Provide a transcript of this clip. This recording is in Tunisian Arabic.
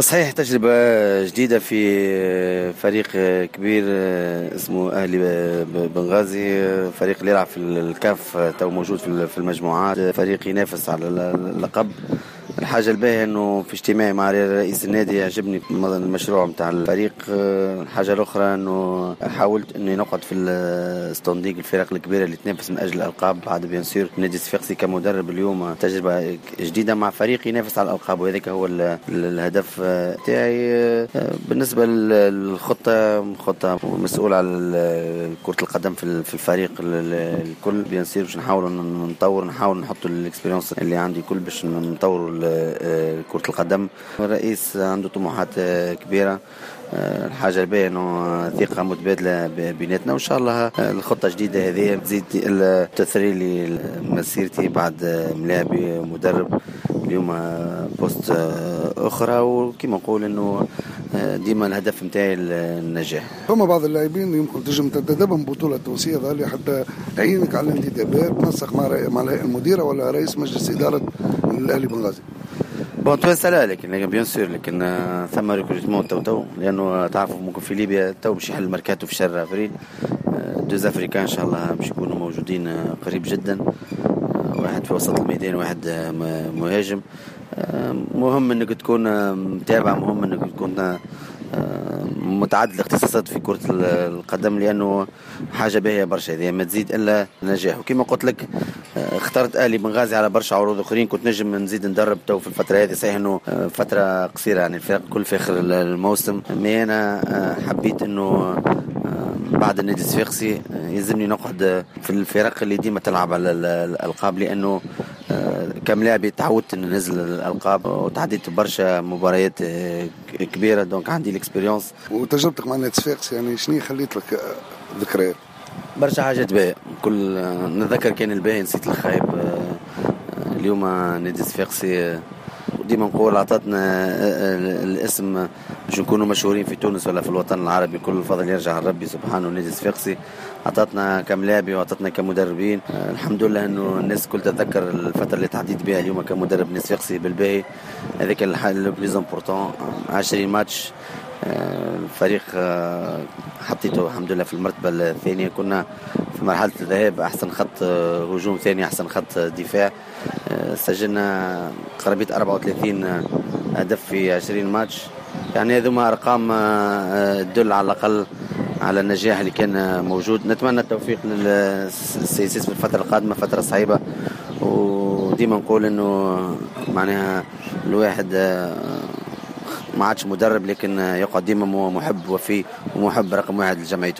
صحيح، تجربة جديدة في فريق كبير اسمه أهلي بنغازي، فريق اللي يلعب في الكاف، تو موجود في المجموعات، فريق ينافس على اللقب. الحاجة الباهية انه في اجتماعي مع رئيس النادي عجبني المشروع نتاع الفريق. الحاجة الأخرى انه حاولت اني نقعد في ال standing الفرق الكبيرة اللي تنافس من أجل الألقاب. بعد bien sûr نادي الصفاقسي، كمدرب اليوم تجربة جديدة مع فريق ينافس على الألقاب، وهذاك هو الهدف تاعي. بالنسبة للخطة، خطة مسؤول على كرة القدم في الفريق الكل. bien sûr باش نحاولوا نطور، نحاول نحطوا l'expérience اللي عندي كل باش نطوروا كرة القدم. الرئيس عنده طموحات كبيرة. الحاجة الباهية انه ثقة متبادلة بيناتنا، وان شاء الله الخطة الجديدة هذه تزيد تثري لي مسيرتي بعد ملاعبي مدرب، اليوم poste اخرى. وكما نقول انه ديما الهدف نتاعي النجاح. فما بعض اللاعبين يمكن تنجم تنتدبهم بطولة تونسية، ظهر حتى عينك على الانتدابات، تنسق مع الهيئة المديرة ولا رئيس مجلس إدارة الأهلي بنغازي؟ bon، توانسة لا، لكن bien sûr لكن ثم recrutement تو تو، لانه تعرفوا ممكن في ليبيا تو باش يحل الميركاتو في شهر افريل. deux Africains ان شاء الله باش يكونوا موجودين قريب جدا، واحد في وسط الميدان، واحد مهاجم. مهم انك تكون متابع، مهم انك تكون متعدد الاختصاصات في كرة القدم، لأنه حاجة باهية برشا، هذه ما تزيد إلا نجاح. وكما قلت لك، اخترت أهلي بنغازي على برشا عروض أخرين. كنت نجم نزيد ندرب تو في الفترة هذه، صحيح أنه فترة قصيرة، يعني الفرق كل في آخر الموسم، mais أنا حبيت أنه بعد النادي الصفاقسي يلزمني نقعد في الفرق اللي ديما تلعب على الألقاب، لأنه كملاعب تعودت ان ننزل الالقاب وتعديت برشا مباريات كبيره، donc عندي l'expérience. وتجربتك مع النادي الصفاقسي يعني شنو خليت لك ذكريات؟ برشا حاجات باهية، كل نتذكر كان الباهي، نسيت الخايب. اليوم نادي الصفاقسي ديما نقول عطاتنا الاسم باش نكونوا مشهورين في تونس ولا في الوطن العربي. كل الفضل يرجع لربي سبحانه. نادي الصفاقسي عطاتنا كملاعبي وعطاتنا كمدربين. الحمد لله انه الناس الكل تتذكر الفترة اللي تعديت بها اليوم كمدرب نادي الصفاقسي بالباهي. هذاك le plus important. 20 ماتش، الفريق حطيته الحمد لله في المرتبة الثانيه. كنا في مرحلة الذهاب احسن خط هجوم، ثاني احسن خط دفاع. سجلنا قرابة 34 هدف في 20 ماتش، يعني هذوما ارقام تدل على الاقل على النجاح اللي كان موجود. نتمنى التوفيق لل CSS في الفترة القادمه، فترة صعيبه. وديما نقول انه معناها الواحد ما عادش مدرب، لكن يقعد ديما محب وفي ومحب رقم واحد لجمعيته.